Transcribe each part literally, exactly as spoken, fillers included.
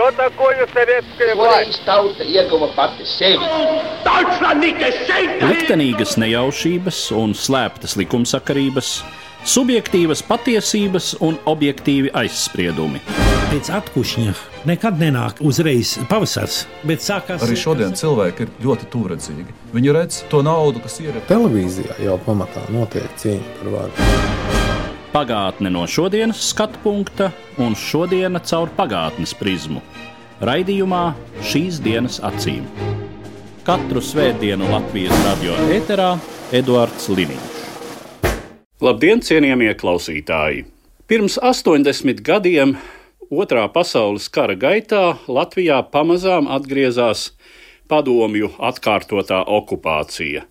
Что такое советская власть? Tauta ieguva pati sevi. Liktenīgas nejaušības un slēptas likumsakarības, subjektīvas patiesības un objektīvi aizspriedumi. Pēc atkušņa nekad nenāk uzreiz pavasars, bet sākās... Arī šodien cilvēki ir ļoti tūredzīgi. Viņi redz to naudu, kas ir... Televīzijā jau pamatā notiek cīņa par varu. Pagātne no šodienas skatu punkta un šodiena caur pagātnes prizmu. Raidījumā Šīs dienas acīm. Katru svētdienu Latvijas radio ēterā Eduards Liniņš. Labdien, cienījamie klausītāji! Pirms astoņdesmit gadiem Otrā pasaules kara gaitā Latvijā pamazām atgriezās padomju atkārtotā okupācija.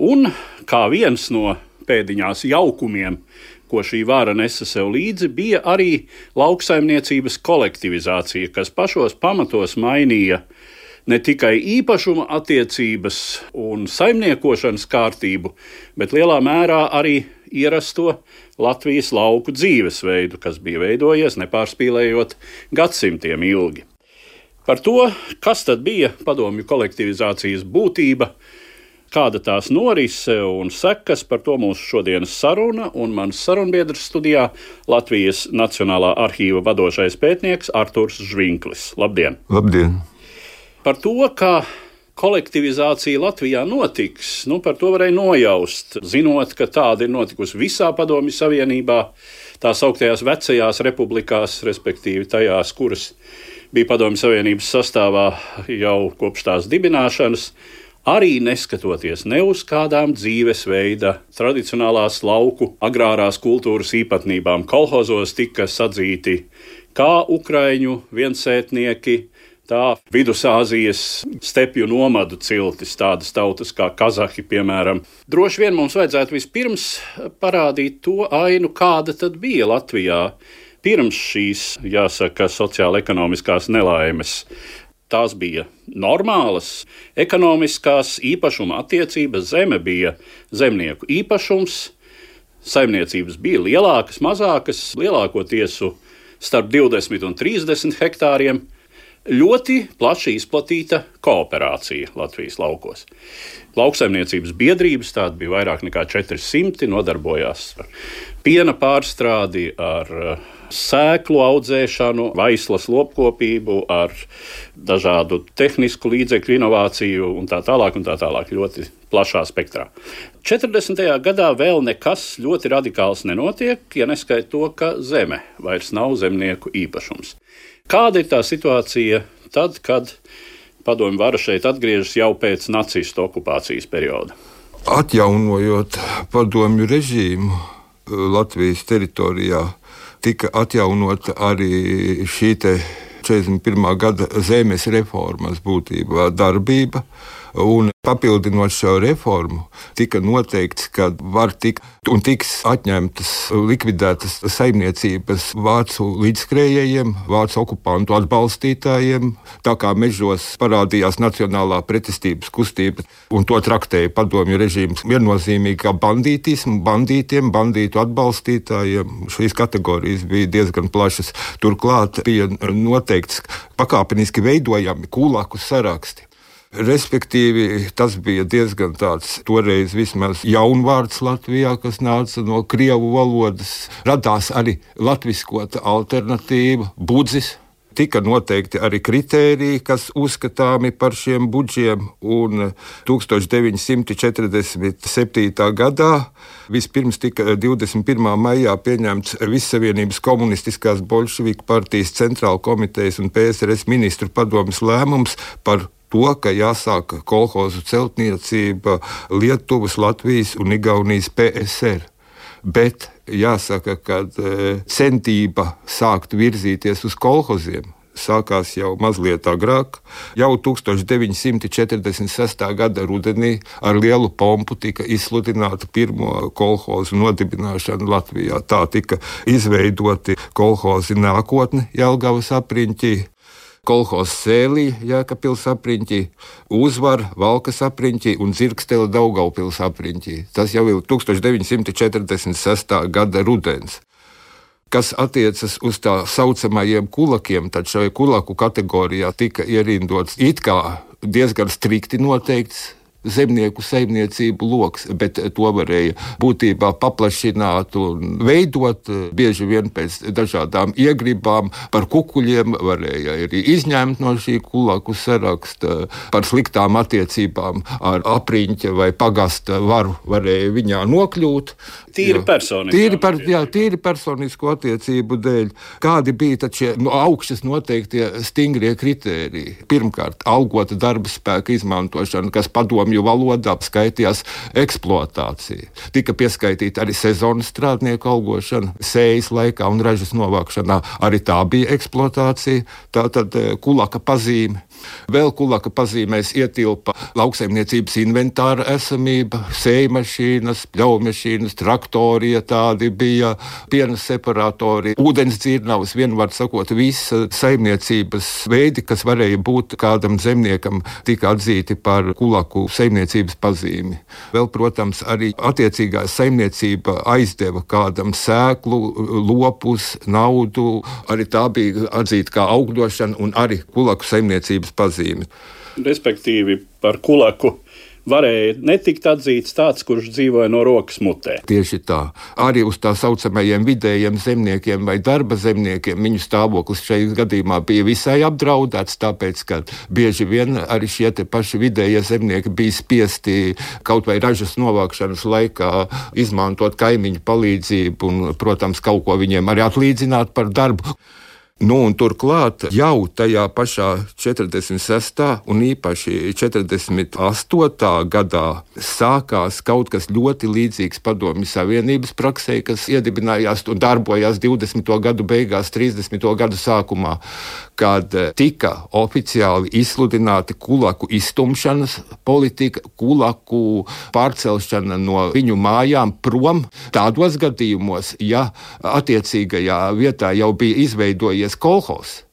Un kā viens no pēdiņās jaukumiem, ko šī vara nesa sev līdzi, bija arī lauksaimniecības kolektivizācija, kas pašos pamatos mainīja ne tikai īpašuma attiecības un saimniekošanas kārtību, bet lielā mērā arī ierasto Latvijas lauku dzīvesveidu, kas bija veidojies nepārspīlējot gadsimtiem ilgi. Par to, kas tad bija padomju kolektivizācijas būtība, kāda tās norise un sekas, par to mūsu šodienas saruna un mans sarunbiedrs studijā Latvijas Nacionālā arhīva vadošais pētnieks Arturs Žvinklis. Labdien! Labdien! Par to, kā kolektivizācija Latvijā notiks, nu, par to varēja nojaust, zinot, ka tāda ir notikusi visā Padomju Savienībā, tās augtajās vecajās republikās, respektīvi tajās, kuras bija Padomju Savienības sastāvā jau kopš tās dibināšanas, arī neskatoties ne uz kādām dzīvesveida, tradicionālās lauku, agrārās kultūras īpatnībām. Kolhozos tika sadzīti kā ukraiņu viensētnieki, tā Vidusāzijas stepju nomadu ciltis, tādas tautas kā kazahi, piemēram. Droši vien mums vajadzētu vispirms parādīt to ainu, kāda tad bija Latvijā pirms šīs, jāsaka, sociāla-ekonomiskās nelaimes. Tās bija normālas, ekonomiskās īpašuma attiecības, zeme bija zemnieku īpašums, saimniecības bija lielākas, mazākas, lielākoties starp divdesmit un trīsdesmit hektāriem. Ļoti plaši izplatīta kooperācija Latvijas laukos. Lauksaimniecības biedrības, tāda bija vairāk nekā četri simti, nodarbojās ar piena pārstrādi, ar sēklu audzēšanu, vaislas lopkopību, ar dažādu tehnisku līdzekļu inovāciju un tā tālāk un tā tālāk, ļoti plašā spektrā. četrdesmitajā gadā vēl nekas ļoti radikāls nenotiek, ja neskait to, ka zeme vairs nav zemnieku īpašums. Kāda ir tā situācija tad, kad padomju vara šeit atgriežas jau pēc nacistu okupācijas perioda? Atjaunojot padomju režīmu Latvijas teritorijā, tika atjaunota arī šī te četrdesmit pirmā gada zemes reformas būtībā darbība. Un papildinot šo reformu, tika noteikts, ka var tikt un tiks atņemtas, likvidētas saimniecības vācu līdzskrējējiem, vācu okupantu atbalstītājiem, tā kā mežos parādījās nacionālā pretestības kustība, un to traktēja padomju režīms viennozīmīgi kā bandītismu, bandītiem, bandītu atbalstītājiem. Šīs kategorijas bija diezgan plašas. Turklāt bija noteikts pakāpeniski veidojami kulāku saraksti. Respektīvi, tas bija diezgan tāds toreiz vismaz jaunvārds Latvijā, kas nāca no krievu valodas. Radās arī latviskota alternatīva, budzis. Tika noteikti arī kritēriji, kas uzskatāmi par šiem budžiem, un tūkstoš deviņi simti četrdesmit septītā gadā vispirms tika divdesmit pirmā maijā pieņemts Vissavienības komunistiskās bolševiku partijas centrāla komitejas un P S R S ministru padomes lēmums par to, ka jāsāk kolhozu celtniecība Lietuvas, Latvijas un Igaunijas P S R. Bet jāsaka, ka centība sākt virzīties uz kolhoziem sākās jau mazliet agrāk. Jau tūkstoš deviņi simti četrdesmit sestā gada rudenī ar lielu pompu tika izsludināta pirmo kolhozu nodibināšana Latvijā. Tā tika izveidoti kolhozi Nākotne Jelgavas apriņķī, kolhozs Sēlī Jēkabpils apriņķī, Uzvara Valkas apriņķī un Dzirkstele Daugavpils apriņķī. Tas jau ir tūkstoš deviņi simti četrdesmit sestā gada rudens. Kas attiecas uz tā saucamajiem kulakiem, tad šajā kulaku kategorijā tika ierindots it kā diezgan strikti noteikts zemnieku saimniecību loks, bet to varēja būtībā paplašināt un veidot. Bieži vien pēc dažādām iegribām par kukuļiem varēja arī izņemt no šī kulaku saraksta, par sliktām attiecībām ar apriņķa vai pagasta varu varēja viņā nokļūt. Tīri personisku. Tīri, par, jā, tīri personisku attiecību dēļ. Kādi bija tad šie no augšas noteiktie stingrie kritēriji? Pirmkārt, algota darba spēka izmantošana, kas padomju valodā skaitījās eksploatācija. Tika pieskaitīta arī sezonas strādnieku algošana, sējas laikā un ražas novākšanā. Arī tā bija eksploatācija, tātad kulaka pazīme. Vēl kulaka pazīmēs ietilpa lauksaimniecības inventāra esamība, sējmašīnas, pļaumašīnas, traktori, ja tādi bija, piena separatori, ūdens dzirnavas, vienvārds sakot, visa saimniecības veidi, kas varēja būt kādam zemniekam, tika atzīti par kulaku saimniecības pazīmi. Vēl, protams, arī attiecīgā saimniecība aizdeva kādam sēklu, lopus, naudu, arī tā bija atzīta kā augļošana un arī kulaku saimniecības pazīmi. Respektīvi, par kulaku varēja netikt atzīts tāds, kurš dzīvoja no rokas mutē. Tieši tā. Arī uz tā saucamajiem vidējiem zemniekiem vai darba zemniekiem viņu stāvoklis šajā gadījumā bija visai apdraudēts, tāpēc, ka bieži vien arī šie te paši vidējie zemnieki bija spiesti kaut vai ražas novākšanas laikā izmantot kaimiņu palīdzību un, protams, kaut ko viņiem arī atlīdzināt par darbu. Nu, un turklāt jau tajā pašā četrdesmit sestā un īpaši četrdesmit astotā gadā sākās kaut kas ļoti līdzīgs Padomju Savienības praksē, kas iedibinājās un darbojās divdesmito gadu beigās, trīsdesmito gadu sākumā, kad tika oficiāli izsludināti kulaku izstumšanas politika, kulaku pārcelšana no viņu mājām prom tādos gadījumos, ja attiecīgajā vietā jau bija izveidojies kolhozs.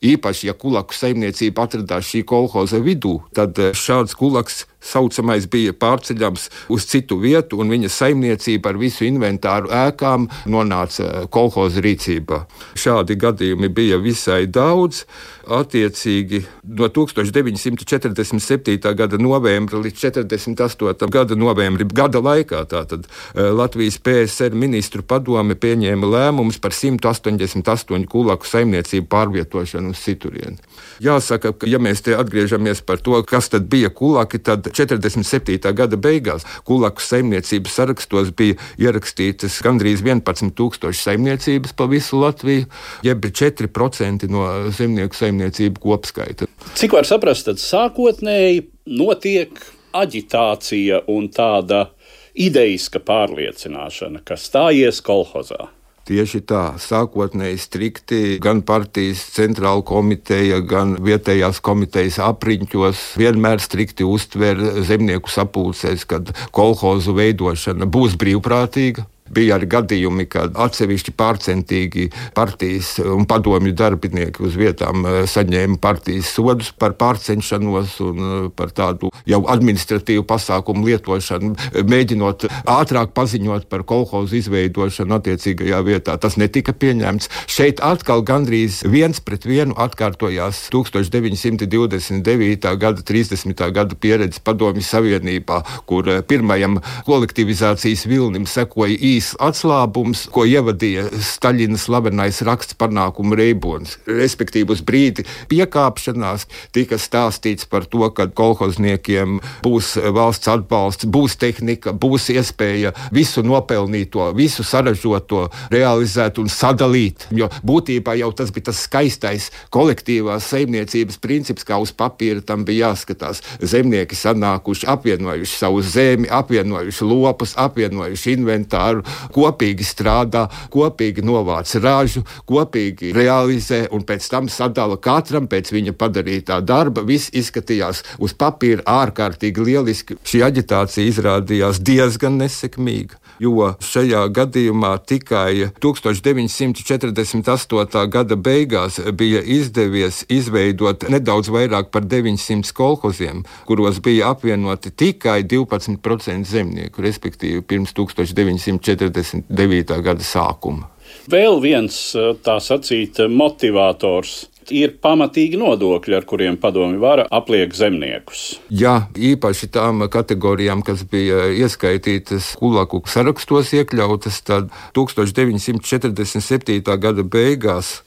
Īpaši, ja kulaku saimniecība atradās šī kolhoza vidū, tad šāds kulaks saucamais bija pārceļams uz citu vietu, un viņa saimniecība ar visu inventāru ēkām nonāca kolhoza rīcībā. Šādi gadījumi bija visai daudz. Attiecīgi no tūkstoš deviņi simti četrdesmit septītā gada novembra līdz četrdesmit astotā gada novembra gada laikā tātad Latvijas P S R ministru padome pieņēma lēmumus par simt astoņdesmit astoņu kulaku saimniecību pārvietošanu uz citurieni. Jāsaka, ka ja mēs te atgriežamies par to, kas tad bija kulaki, tad četrdesmit septītā gada beigās kulaku saimniecības sarakstos bija ierakstītas gandrīz vienpadsmit tūkstoši saimniecības pa visu Latviju, jeb četri procenti no zemnieku saimniecību kopskaita. Cik var saprast, tad sākotnēji notiek aģitācija un tāda idejiska pārliecināšana, ka stājies kolhozā? Tieši tā, sākotnēji strikti gan partijas centrāla komiteja, gan vietējās komitejas apriņķos vienmēr strikti uztver zemnieku sapulcēs, kad kolhozu veidošana būs brīvprātīga. Bija arī gadījumi, kad atsevišķi pārcentīgi partijas un padomju darbinieki uz vietām saņēma partijas sodus par pārcenšanos un par tādu jau administratīvu pasākumu lietošanu, mēģinot ātrāk paziņot par kolhozu izveidošanu attiecīgajā vietā. Tas netika pieņemts. Šeit atkal gandrīz viens pret vienu atkārtojās tūkstoš deviņi simti divdesmit devītā gada, trīsdesmitā gada pieredze Padomju Savienībā, kur pirmajam kolektivizācijas vilnim sekoja īsi atslābums, ko ievadīja Staļina slavenais raksts panākumu reibonis. Respektīvi uz brīdi piekāpšanās tika stāstīts par to, ka kolhozniekiem būs valsts atbalsts, būs tehnika, būs iespēja visu nopelnīto, visu saražoto realizēt un sadalīt. Jo būtībā jau tas bija tas skaistais kolektīvās saimniecības princips, kā uz papīra tam bija jāskatās. Zemnieki sanākuši, apvienojuši savu zemi, apvienojuši lopus, apvienojuši inventāru, kopīgi strādā, kopīgi novāc ražu, kopīgi realizē un pēc tam sadala katram pēc viņa padarītā darba. Viss izskatījās uz papīra ārkārtīgi lieliski. Šī aģitācija izrādījās diezgan nesekmīga, jo šajā gadījumā tikai tūkstoš deviņi simti četrdesmit astotā gada beigās bija izdevies izveidot nedaudz vairāk par deviņsimt kolhoziem, kuros bija apvienoti tikai divpadsmit procenti zemnieku, respektīvi pirms tūkstoš deviņi simti četrdesmit devītā gada sākuma. Vēl viens, tā sacīt, motivators ir pamatīgi nodokļi, ar kuriem padomju vara apliek zemniekus. Jā, īpaši tām kategorijām, kas bija ieskaitītas kulaku sarakstos iekļautas, tad deviņdesmit četrdesmit septītā gada beigās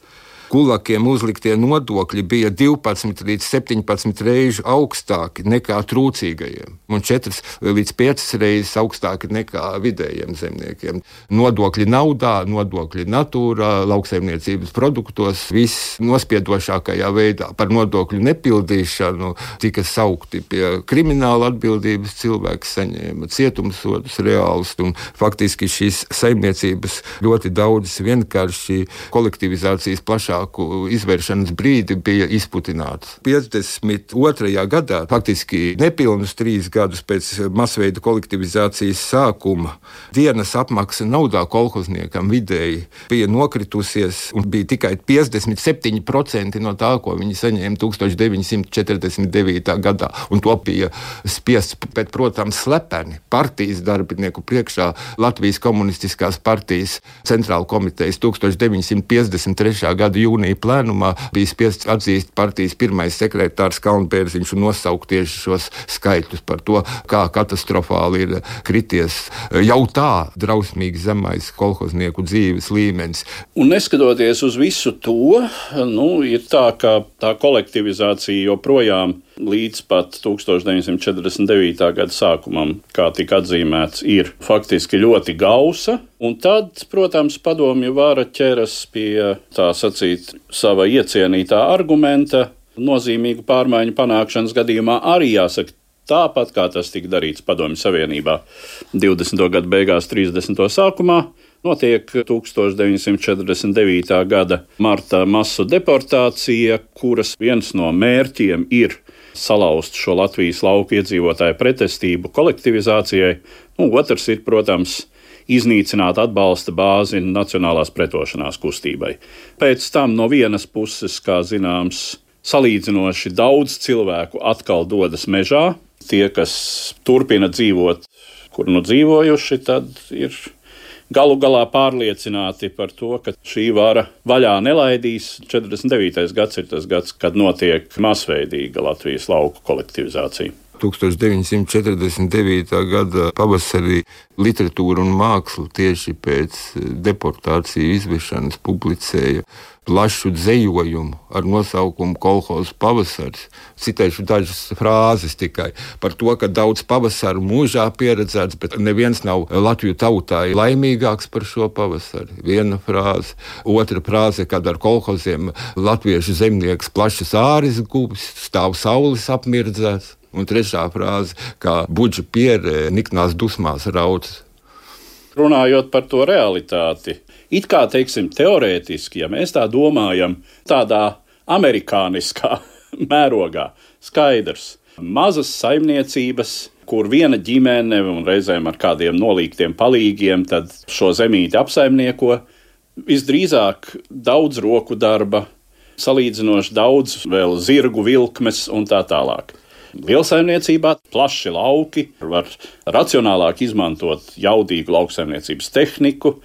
kulakiem uzliktie nodokļi bija divpadsmit līdz septiņpadsmit reižu augstāki nekā trūcīgajiem, un četras līdz piecas reizes augstāki nekā vidējiem zemniekiem. Nodokļi naudā, nodokļi natūrā, lauksaimniecības produktos, viss nospiedošākajā veidā. Par nodokļu nepildīšanu tika saukti pie krimināla atbildības, cilvēki saņēma cietumsodus reālus, un faktiski šīs saimniecības ļoti daudzas vienkārši kolektivizācijas plašā izvēršanas brīdi bija izputināts. piecdesmit otrajā gadā, faktiski nepilnus trīs gadus pēc masveida kolektivizācijas sākuma, dienas apmaksa naudā kolhozniekam vidēji bija nokritusies un bija tikai piecdesmit septiņi procenti no tā, ko viņi saņēma deviņdesmit četrdesmit devītā gadā. Un to bija spiests, bet, protams, slepeni partijas darbinieku priekšā Latvijas komunistiskās partijas centrāla komitejas deviņdesmit piecdesmit trešā gada jūnija plēnumā bija spiests atzīst partijas pirmais sekretārs Kalnbērziņš un nosaukt tieši šos skaitļus par to, kā katastrofāli ir krities jau tā drausmīgi zemais kolhoznieku dzīves līmenis. Un neskatoties uz visu to, nu, ir tā, ka tā kolektivizācija joprojām līdz pat deviņdesmit četrdesmit devītā gada sākumam, kā tika atzīmēts, ir faktiski ļoti gausa. Un tad, protams, padomju vara ķeras pie, tā sacīt, sava iecienītā argumenta, nozīmīgu pārmaiņu panākšanas gadījumā arī jāsaka, tāpat kā tas tika darīts Padomju Savienībā divdesmito gadu beigās, trīsdesmito sākumā, notiek deviņdesmit četrdesmit devītā gada marta masu deportācija, kuras viens no mērķiem ir salauzt šo Latvijas lauku iedzīvotāju pretestību kolektivizācijai, un otrs ir, protams, iznīcināt atbalsta bāzi nacionālās pretošanās kustībai. Pēc tam no vienas puses, kā zināms, salīdzinoši daudz cilvēku atkal dodas mežā. Tie, kas turpina dzīvot, kur nu dzīvojuši, tad ir galu galā pārliecināti par to, ka šī vara vaļā nelaidīs. četrdesmit devītais gads ir tas gads, kad notiek masveidīga Latvijas lauku kolektivizācija. deviņdesmit četrdesmit devītā gada pavasarī literatūra un māksla tieši pēc deportāciju izvešanas publicēja plašu dzejojumu ar nosaukumu Kolhozu pavasaris. Citēšu dažas frāzes tikai par to, ka daudz pavasaru mūžā pieredzēts, bet neviens nav Latviju tautā laimīgāks par šo pavasari. Viena frāze. Otra frāze, kad ar kolhoziem latviešu zemnieks plašas āris guvis, stāv saules apmirdzēts. Un trešā frāze, kā budža pierē niknās dusmās rauc. Runājot par to realitāti, it kā, teiksim, teorētiski, ja mēs tā domājam, tādā amerikāniskā mērogā, skaidrs, mazas saimniecības, kur viena ģimene un reizēm ar kādiem nolīgtiem palīgiem, tad šo zemīti apsaimnieko, visdrīzāk daudz roku darba, salīdzinoši daudz vēl zirgu vilkmes un tā tālāk. Lielsaimniecībā plaši lauki, var racionālāk izmantot jaudīgu lauksaimniecības tehniku.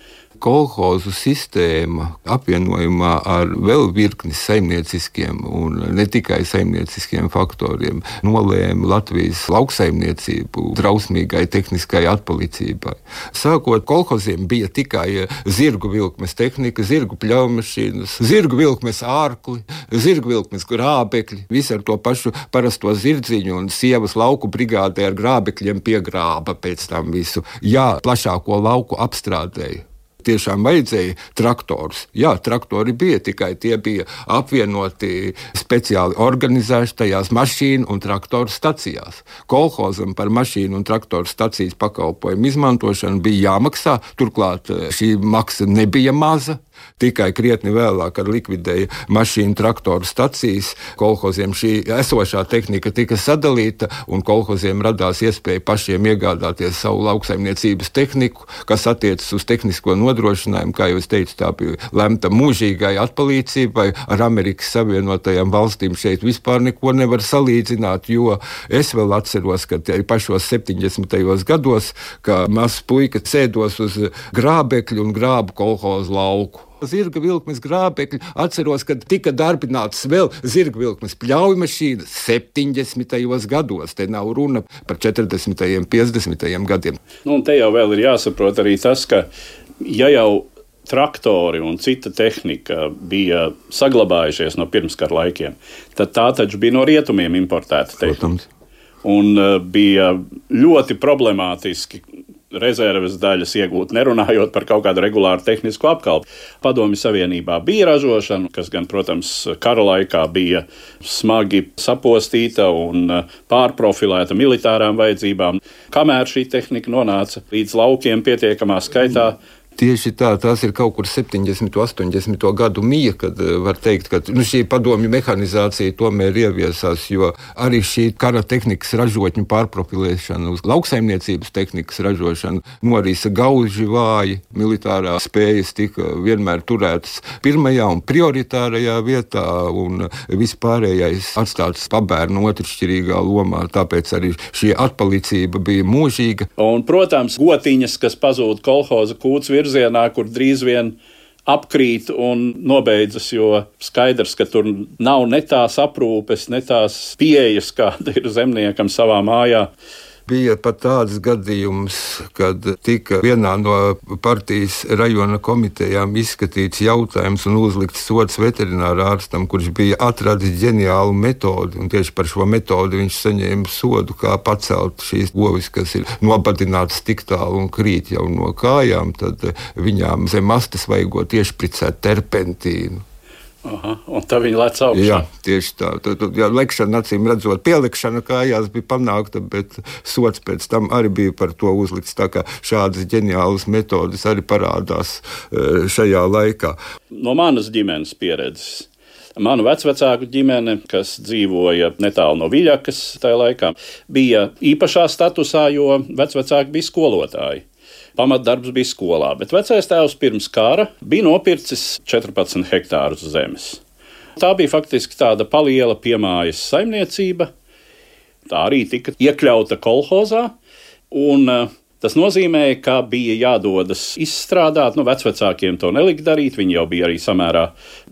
Kolhozu sistēma apvienojumā ar vēl virkni saimnieciskiem un ne tikai saimnieciskiem faktoriem nolēma Latvijas lauksaimniecību drausmīgai tehniskai atpalicībai. Sākot kolhoziem bija tikai zirgu vilkmes tehnika, zirgu pļaumašīnas, zirgu vilkmes ārkli, zirgu vilkmes grābekļi, visi ar to pašu parasto zirdziņu, un sievas lauku brigādē ar grābekļiem piegrāba pēc tam visu. Jā, plašāko lauku apstrādēja. Tiešām vajadzēja traktorus. Jā, traktori bija, tikai tie bija apvienoti speciāli organizēti tajās mašīnu un traktoru stacijās. Kolhozam par mašīnu un traktoru stacijas pakalpojumu izmantošanu bija jāmaksā, turklāt šī maksa nebija maza. Tikai krietni vēlāk, kad likvidēja mašīnu traktoru stacijas, kolhoziem šī esošā tehnika tika sadalīta, un kolhoziem radās iespēja pašiem iegādāties savu lauksaimniecības tehniku, kas attiecas uz tehnisko nodrošinājumu, kā jau es teicu, tā bija lemta mūžīgai atpalīdzībai. Ar Amerikas Savienotajām valstīm šeit vispār neko nevar salīdzināt, jo es vēl atceros, ka pašos septiņdesmitajos gados, ka mazs puika sēdos uz grābekļu un grābu kolhozu lauku. zirga vilkmes grābekļi. Atceros, kad tika darbināts vēl zirga vilkmes pļaujmašīnas septiņdesmitajos gados. Te nav runa par četrdesmitajiem, piecdesmitajiem gadiem. Nu, un te jau vēl ir jāsaprot arī tas, ka ja jau traktori un cita tehnika bija saglabājušies no pirmskara laikiem, tad tā taču bija no rietumiem importēta tehnika. Protams. Un uh, bija ļoti problemātiski rezerves daļas iegūt, nerunājot par kaut kādu regulāru tehnisku apkalpi. Padomju Savienībā bija ražošana, kas gan, protams, kara laikā bija smagi sapostīta un pārprofilēta militārām vajadzībām. Kamēr šī tehnika nonāca līdz laukiem pietiekamā skaitā, Tieši tā, tās ir kaut kur septiņdesmito, astoņdesmito gadu mija, kad var teikt, ka nu, šī padomju mehanizācija tomēr ieviesās, jo arī šī kara tehnikas ražotņu pārprofilēšana uz lauksaimniecības tehnikas ražošanu norisa gauži vāji, militārā spējas tika vienmēr turētas pirmajā un prioritārajā vietā, un vispārējais atstāts pabērnu otršķirīgā lomā, tāpēc arī šī atpalicība bija mūžīga. Un, protams, gotiņas, kas pazūd kolhoza kūts virzienā, kur drīz vien apkrīt un nobeidzas, jo skaidrs, ka tur nav ne tās aprūpes, ne tās pieejas, kāda ir zemniekam savā mājā. Bija pat tāds gadījums, kad tika vienā no partijas rajona komitejām izskatīts jautājums un uzlikts sods veterinārā ārstam, kurš bija atradis ģeniālu metodi, un tieši par šo metodi viņš saņēma sodu, kā pacelt šīs govis, kas ir nobadinātas tik tālu un krīt jau no kājām, tad viņām zem astes vajagot iešpricēt terpentīnu. Aha, un tā viņa lec augšā. Jā, tieši tā. Tad, jā, lekšana, acīm redzot, pielikšana kājās bija panākta, bet sods pēc tam arī bija par to uzlikts. Tā kā šādas ģeniālas metodas arī parādās šajā laikā. No manas ģimenes pieredzes. Manu vecvecāku ģimene, kas dzīvoja netālu no Viļakas tajā laikā, bija īpašā statusā, jo vecvecāki bija skolotāji. Pamatdarbs bija skolā, bet vecais tēvs pirms kara bija nopircis četrpadsmit hektārus zemes. Tā bija faktiski tāda paliela piemājas saimniecība. Tā arī tika iekļauta kolhozā, un tas nozīmēja, ka bija jādodas izstrādāt. Nu, vecvecākiem to nelika darīt, viņi jau bija arī samērā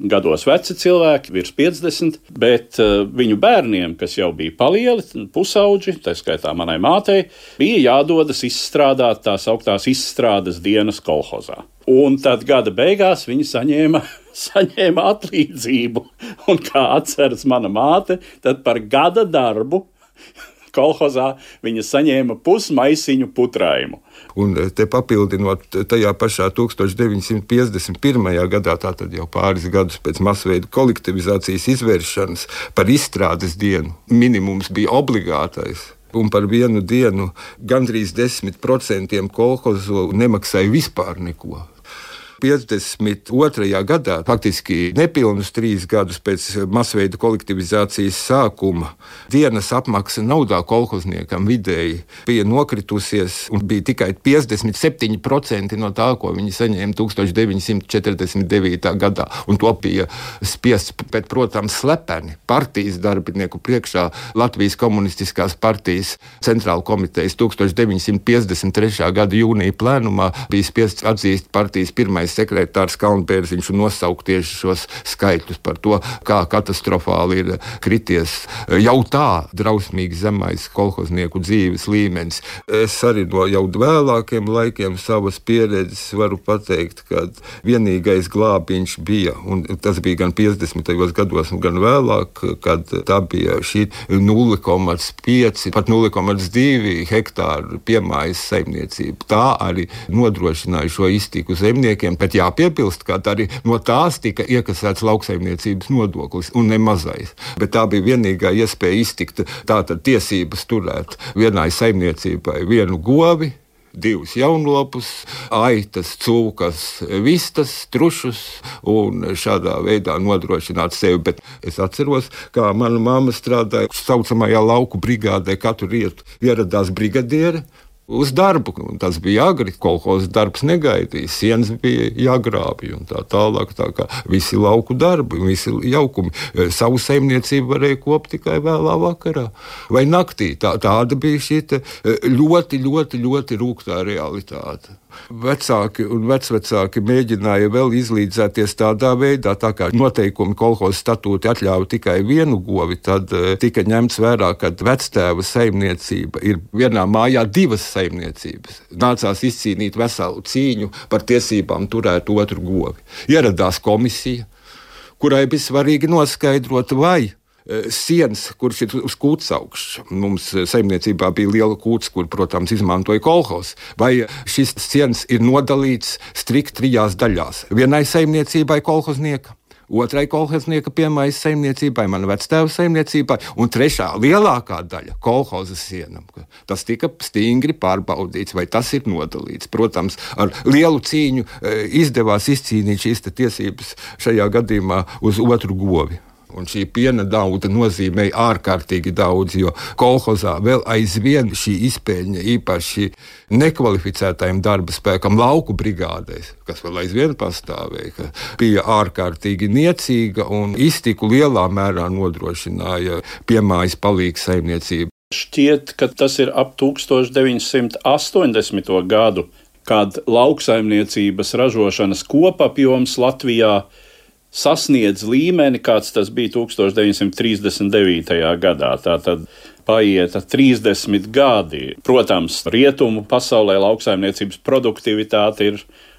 gados veci cilvēki, virs piecdesmit, bet uh, viņu bērniem, kas jau bija palieli, pusauģi, tā skaitā manai mātei, bija jādodas izstrādāt tās augtās izstrādes dienas kolhozā. Un tad gada beigās viņi saņēma, saņēma atlīdzību. Un kā atceras mana māte, tad par gada darbu kolhozā viņa saņēma pusmaisiņu putrājumu. Un te papildinot tajā pašā tūkstoš deviņsimt piecdesmit pirmajā gadā, tātad jau pāris gadus pēc masveida kolektivizācijas izvēršanas, par izstrādes dienu minimums bija obligātais. Un par vienu dienu gandrīz desmit procentiem kolhozu nemaksāja vispār neko. piecdesmit otrajā gadā, faktiski nepilnus trīs gadus pēc masveida kolektivizācijas sākuma, dienas apmaksa naudā kolhozniekam vidēji bija nokritusies un bija tikai piecdesmit septiņi procenti no tā, ko viņi saņēma tūkstoš deviņsimt četrdesmit devītā gadā. Un to bija spiests, bet, protams, slepeni partijas darbinieku priekšā. Latvijas komunistiskās partijas centrāla komitejas tūkstoš deviņsimt piecdesmit trešā gada jūnija plēnumā bija spiests atzīst partijas pirmais sekretārs Kalnbērziņš un nosaukt tieši šos skaitļus par to, kā katastrofāli ir krities jau tā drausmīgi zemais kolhoznieku dzīves līmenis. Es arī no jau vēlākiem laikiem savas pieredzes varu pateikt, ka vienīgais glābiņš bija, un tas bija gan piecdesmitajos gados, gan vēlāk, kad tā bija šī nulle komats pieci, pat nulle komats divi hektāru piemājas saimniecība. Tā arī nodrošināja šo iztiku zemniekiem. Bet jāpiebilst, ka arī no tās tika iekasēts lauksaimniecības nodoklis, un ne mazais. Bet tā bija vienīgā iespēja iztikt, tātad tiesības turēt vienai saimniecībai vienu govi, divus jaunlopus, aitas, cūkas, vistas, trušus un šādā veidā nodrošināt sevi. Bet es atceros, kā mana mamma strādāja saucamajā lauku brigādē, katru rietu ieradās brigadiere uz darbu. Un tas bija agri, kolhozas darbs negaidīja, sienas bija jāgrābj un tā tālāk, tā kā visi lauku darbi, visi jaukumi. Savu saimniecību varēja kopt tikai vēlā vakarā vai naktī. Tā, tāda bija šī ļoti, ļoti, ļoti rūgtā realitāte. Vecāki un vecvecāki mēģināja vēl izlīdzēties tādā veidā, tā kā noteikumi kolhoza statūti atļauj tikai vienu govi, tad tika ņemts vērā, ka vectēva saimniecība ir vienā mājā divas saimniecības. Nācās izcīnīt veselu cīņu par tiesībām turēt otru govi. Ieradās komisija, kurai bija svarīgi noskaidrot, vai siens, kurš ir uz kūts augšs. Mums saimniecībā bija liela kūts, kur, protams, izmantoja kolhoz. Vai šis siens ir nodalīts strikt trijās daļās? Vienai saimniecībai kolhoznieka, otrai kolhoznieka piemājas saimniecībai, mana vectēva saimniecībai, un trešā lielākā daļa kolhoza sienam. Tas tika stingri pārbaudīts, vai tas ir nodalīts. Protams, ar lielu cīņu izdevās izcīnīt šīs tiesības šajā gadījumā uz otru govi. Un šī piena dauda nozīmēja ārkārtīgi daudz, jo kolhozā vēl aizvien šī izpēļņa īpaši nekvalificētajam darba spēkam lauku brigādēs, kas vēl aizvien pastāvēja, bija ārkārtīgi niecīga un iztiku lielā mērā nodrošināja piemājas palīgs saimniecību. Šķiet, ka tas ir ap tūkstoš deviņsimt astoņdesmito gadu, kad lauksaimniecības ražošanas kopapjoms Latvijā sasniedz līmeni, kāds tas bija tūkstoš deviņsimt trīsdesmit devītajā gadā. Tātad paieta trīsdesmit gadi. Protams, rietumu pasaulē lauksaimniecības produktivitāte ir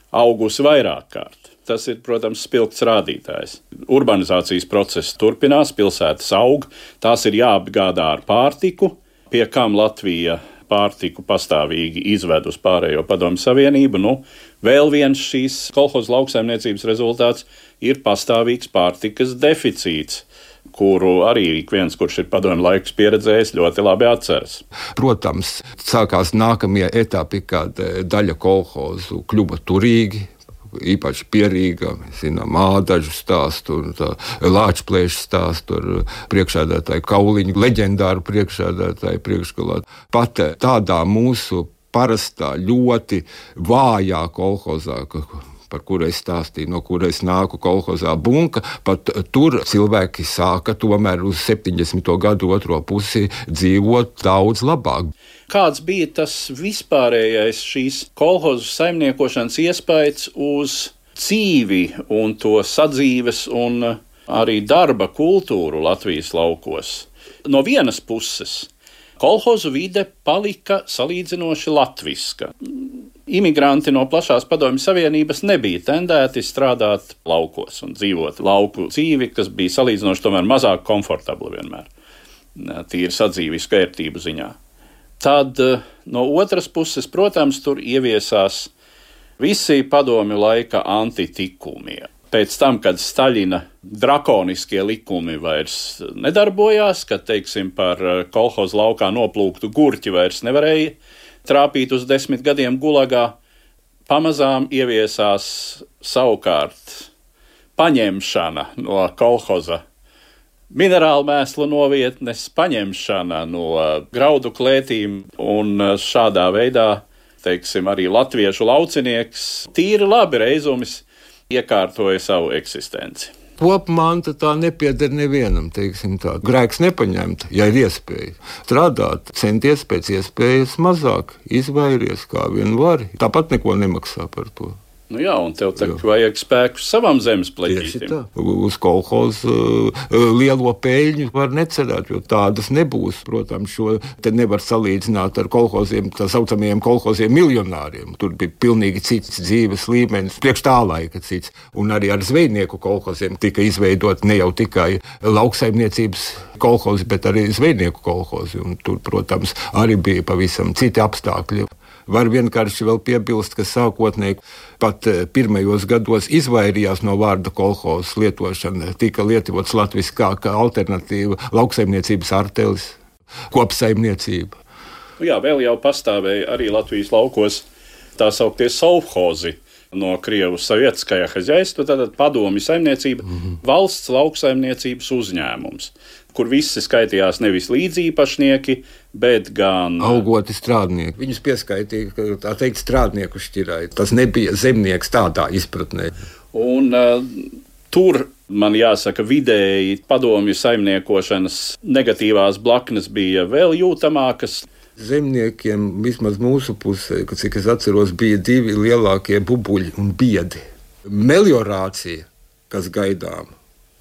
augusi vairāk kārt. Tas ir, protams, spilgts rādītājs. Urbanizācijas process turpinās, pilsētas aug, tās ir jāapgādā ar pārtiku, pie kam Latvija pārtiku pastāvīgi izved uz pārējo Padomju Savienību. Nu, vēl viens šīs kolhoza lauksaimniecības rezultāts ir pastāvīgs pārtikas deficīts, kuru arī ik viens, kurš ir padomju laikus pieredzējis, ļoti labi atceras. Protams, sākās nākamie etapi, kad daļa kolhozu kļuva turīgi, īpaši Pierīgā, zinām, Ādažu stāstu, Lāčplēšu stāstu ar priekšsēdētāju Kauliņu, leģendāru priekšsēdētāju priekšgalā. Pat tādā mūsu parastā, ļoti vājā kolhozā, par kuru es stāstīju, no kura es nāku kolhozā Bunka, pat tur cilvēki sāka tomēr uz septiņdesmito gadu otro pusi dzīvot daudz labāk. Kāds bija tas vispārējais šīs kolhozu saimniekošanas iespējas uz dzīvi un to sadzīves un arī darba kultūru Latvijas laukos? No vienas puses, kolhozu vide palika salīdzinoši latviska. Imigranti no plašās Padomju Savienības nebija tendēti strādāt laukos un dzīvot lauku dzīvi, kas bija salīdzinoši tomēr mazāk komfortabla vienmēr, tīri sadzīvisku ērtību ziņā. Tad no otras puses, protams, tur ieviesās visi padomju laika antitikumi. Pēc tam, kad Staļina drakoniskie likumi vairs nedarbojās, kad, teiksim, par kolhozu laukā noplūktu gurķi vairs nevarēja trāpīt uz desmit gadiem gulagā, pamazām ieviesās savukārt paņemšana no kolhoza minerālu mēslu novietnes, paņemšana no graudu klētīm, un šādā veidā, teiksim, arī latviešu laucinieks tīri labi reizumis iekārtoja savu eksistenci. Kopmanta tā nepieder nevienam, teiksim tā. Grēks nepaņemt, ja ir iespēja. Strādāt, centies pēc iespējas mazāk, izvairies kā vien vari. Tāpat neko nemaksā par to. Nu jā, un tev tagad vajag spēku savam zemes pleķītim. Uz kolhozu uh, lielo peļņu var necerēt, jo tādas nebūs. Protams, šo te nevar salīdzināt ar kolhoziem, tā saucamajiem kolhoziem miljonāriem. Tur bija pilnīgi cits dzīves līmenis, priekš tā laika cits. Un arī ar zvejnieku kolhoziem tika izveidot ne jau tikai lauksaimniecības kolhozi, bet arī zvejnieku kolhozi. Un tur, protams, arī bija pavisam citi apstākļi. Var vienkārši vēl piebilst, ka sākotnēji pat pirmajos gados izvairījās no vārda kolhozs lietošana, tika lietots latviskā kā alternatīva lauksaimniecības artelis, kopsaimniecība. Jā, vēl jau pastāvēja arī Latvijas laukos tā sauktie sovhozi no Krievu sovietskajā hozjaistva, tātad padomju saimniecība, mm-hmm. valsts lauksaimniecības uzņēmums, kur visi skaitījās nevis līdzīpašnieki, bet gan algoti strādnieki. Viņus pieskaitīja, tā teikt, strādnieku šķirai. Tas nebija zemnieks tādā izpratnē. Un uh, tur, man jāsaka, vidēji padomju saimniekošanas negatīvās blaknes bija vēl jūtamākas. Zemniekiem, vismaz mūsu pusē, cik es atceros, bija divi lielākie bubuļi un biedi. Meliorācija, kas gaidām,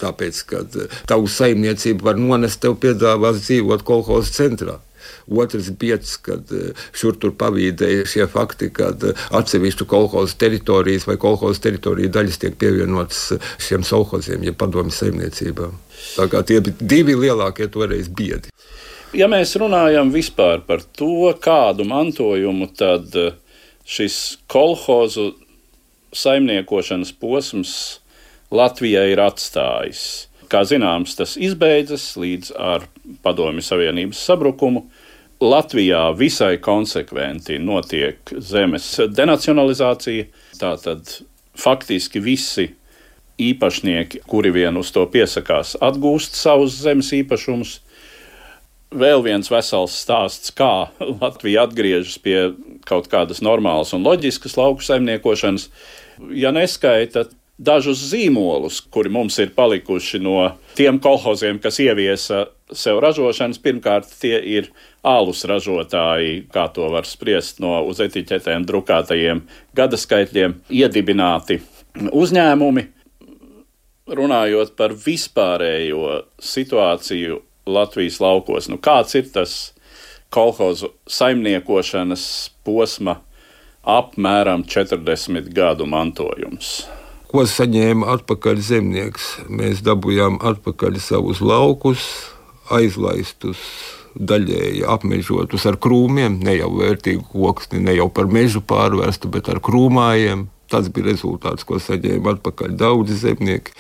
tāpēc, ka tavu saimniecību var nonest, tev piedāvās dzīvot kolhoza centrā. Otrs bieds, kad šur tur pavīdēja šie fakti, kad atsevišķu kolhoza teritorijas vai kolhoza teritorija daļas tiek pievienotas šiem sovhoziem, ja padomju saimniecībām. Tā kā tie bija divi lielākie toreiz biedi. Ja mēs runājam vispār par to, kādu mantojumu tad šis kolhozu saimniekošanas posms Latvijai ir atstājis. Kā zināms, tas izbeidzas līdz ar Padomju Savienības sabrukumu. Latvijā visai konsekventi notiek zemes denacionalizācija. Tātad faktiski visi īpašnieki, kuri vien uz to piesakās, atgūst savus zemes īpašumus. Vēl viens vesels stāsts, kā Latvija atgriežas pie kaut kādas normālas un loģiskas lauku saimniekošanas. Ja neskaita dažus zīmolus, kuri mums ir palikuši no tiem kolhoziem, kas ieviesa sev ražošanas, pirmkārt tie ir alus ražotāji, kā to var spriest no uz etiķetēm drukātajiem gadaskaitļiem, iedibināti uzņēmumi. Runājot par vispārējo situāciju Latvijas laukos, nu kāds ir tas kolhozu saimniekošanas posma apmēram četrdesmit gadu mantojums? Ko saņēma atpakaļ zemnieks? Mēs dabūjām atpakaļ savus laukus, aizlaistus, daļēji apmežotus ar krūmiem, ne jau vērtīgu koksni, ne jau par mežu pārvērstu, bet ar krūmājiem. Tas bija rezultāts, ko saņēma atpakaļ daudzi zemnieki.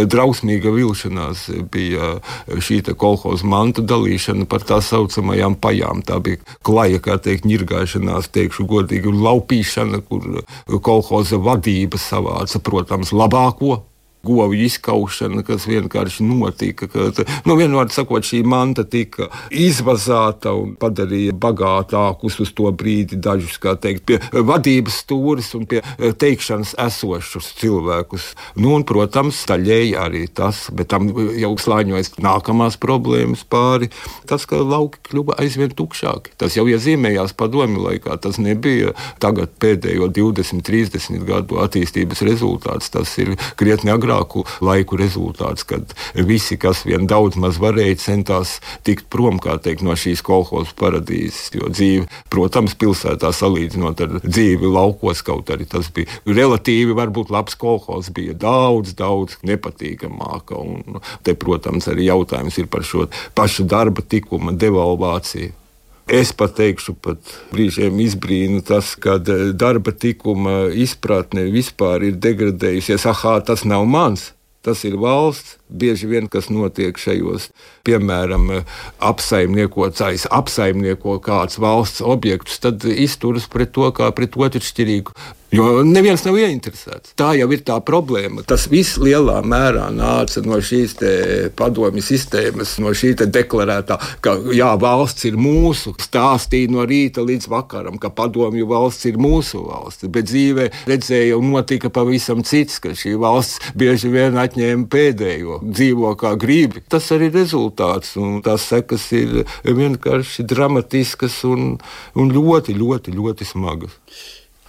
Drausmīga vilšanās bija šī kolhoza mantu dalīšana par tā saucamajām pajām. Tā bija klaja, kā teikt, ņirgāšanās, teikšu godīgi, un laupīšana, kur kolhoza vadība savāca, protams, labāko. Govju izkaušana, kas vienkārši notika. Kad, nu, vienmēr sakot, šī manta tika izvazāta un padarīja bagātākus uz to brīdi dažus, kā teikt, pie vadības stūris un pie teikšanas esošus cilvēkus. Nu, un, protams, daļēji arī tas, bet tam jau slāņojas nākamās problēmas pāri. Tas, ka lauki kļuva aizvien tukšāki. Tas jau iezīmējās padomju laikā. Tas nebija tagad pēdējo divdesmit, trīsdesmit gadu attīstības rezultāts. Tas ir krietni agrāk laiku rezultāts, kad visi, kas vien daudz maz varēja, centās tikt prom, kā teikt, no šīs kolhoza paradīzes. Jo dzīve, protams, pilsētā salīdzinot ar dzīvi laukos, kaut arī tas bija relatīvi, varbūt labs kolhozs, bija daudz, daudz nepatīkamāka. Un te, protams, arī jautājums ir par šo pašu darba tikuma devalvāciju. Es pat teikšu, pat brīžiem izbrīnu tas, ka darba tikuma izpratne vispār ir degradējusies. Ahā, tas nav mans, tas ir valsts. Bieži vien, kas notiek šajos, piemēram, apsaimniekotājs apsaimnieko kāds valsts objektus, tad izturas pret to kā pret otršķirīgu, jo neviens nav ieinteresēts. Tā jau ir tā problēma. Tas viss lielā mērā nāca no šīs te padomju sistēmas, no šī te deklarētā, ka jā, valsts ir mūsu, stāstīja no rīta līdz vakaram, ka padomju valsts ir mūsu valsts, bet dzīvē redzēja un notika pavisam cits, ka šī valsts bieži vien atņēma pēdējo. Dzīvo kā gribi. Tas arī rezultāts, un tās sekas ir vienkārši dramatiskas un, un ļoti, ļoti, ļoti smagas.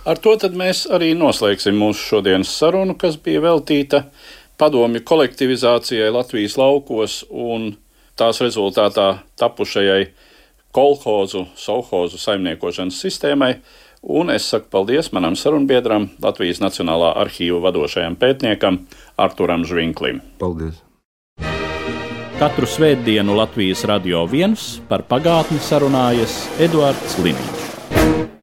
Ar to tad mēs arī noslēgsim mūsu šodienas sarunu, kas bija veltīta padomju kolektivizācijai Latvijas laukos un tās rezultātā tapušajai kolhozu, sovhozu saimniekošanas sistēmai. Un es saku paldies manam sarunbiedram, Latvijas Nacionālā arhīva vadošajam pētniekam Arturam Žvinklim. Paldies! Katru svētdienu Latvijas Radio viens par pagātni sarunājas Eduards Liniņš.